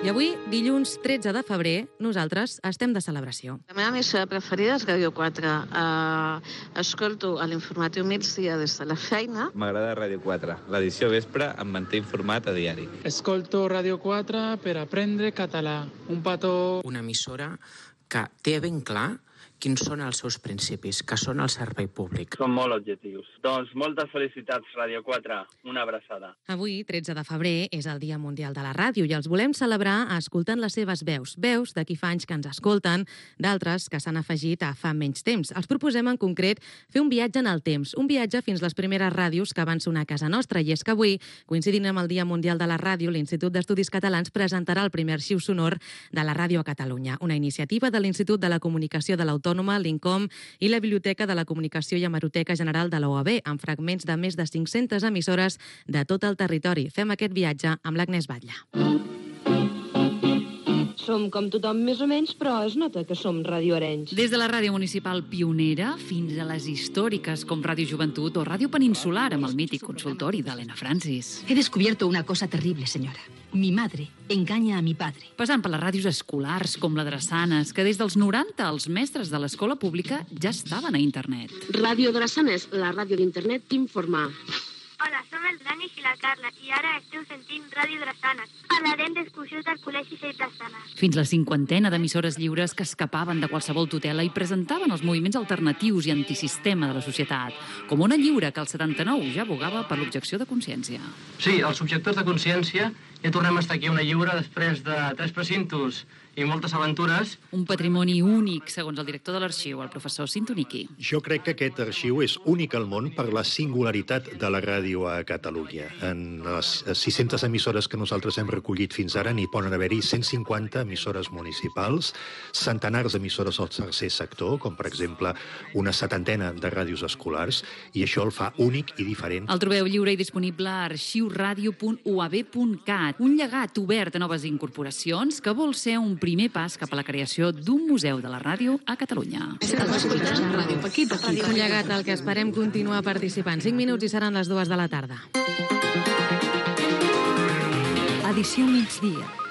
I avui, dilluns 13 de febrer, nosaltres estem de celebració. La meva emissora preferida és Ràdio 4. Escolto a l'informatiu migdia des de la feina. M'agrada Ràdio 4. L'edició vespre em manté informat a diari. Escolto Ràdio 4 per aprendre català. Un petó... Una emissora que té ben clar quins són els seus principis, que són el servei públic. Són molt objectius. Doncs moltes felicitats, Ràdio 4. Una abraçada. Avui, 13 de febrer, és el Dia Mundial de la Ràdio i els volem celebrar escoltant les seves veus. Veus de qui fa anys que ens escolten, d'altres que s'han afegit a fa menys temps. Els proposem en concret fer un viatge en el temps, un viatge fins les primeres ràdios que van sonar a casa nostra. I és que avui, coincidint amb el Dia Mundial de la Ràdio, l'Institut d'Estudis Catalans presentarà el primer arxiu sonor de la ràdio a Catalunya, una iniciativa de l'Institut de la Comunicació de l'Autònoma, l'INCOM i la Biblioteca de la Comunicació i Hemeroteca General de la UAB, amb fragments de més de 500 emissores de tot el territori. Fem aquest viatge amb l'Agnès Batlle. Som com tothom més o menys, però es nota que som radioarenys. Des de la ràdio municipal pionera fins a les històriques com Ràdio Joventut o Ràdio Peninsular amb el mític consultori d'Helena Francis. He descubierto una cosa terrible, señora. Mi madre engaña a mi padre. Passant per les ràdios escolars com la Drassanes, que des dels 90 els mestres de l'escola pública ja estaven a internet. Ràdio Drassanes, la ràdio d'internet t'informa. Hola, som el Danis i la Carla i ara esteu sentint Ràdio Drassanes. Parlarem d'excursions del Col·legi Seix Drassanes. Fins la cinquantena d'emissores lliures que escapaven de qualsevol tutela i presentaven els moviments alternatius i antisistema de la societat, com Ona Lliure, que al 79 ja abogava per l'objecció de consciència. Sí, els objectors de consciència ja tornem a estar aquí a Ona Lliure després de 3 precintos i moltes aventures. Un patrimoni únic, segons el director de l'arxiu, el professor Sintoniki. Jo crec que aquest arxiu és únic al món per la singularitat de la ràdio a Catalunya. En les 600 emissores que nosaltres hem recollit fins ara n'hi poden haver-hi 150 emissores municipals, centenars d'emissores al tercer sector, com per exemple una setantena de ràdios escolars, i això el fa únic i diferent. El trobeu lliure i disponible a arxiuradio.uab.cat, un llegat obert a noves incorporacions que vol ser un primer pas cap a la creació d'un museu de la ràdio a Catalunya. Un llegat al que esperem continuar participant. 5 minuts i seran les 2 de la tarda. Edició migdia.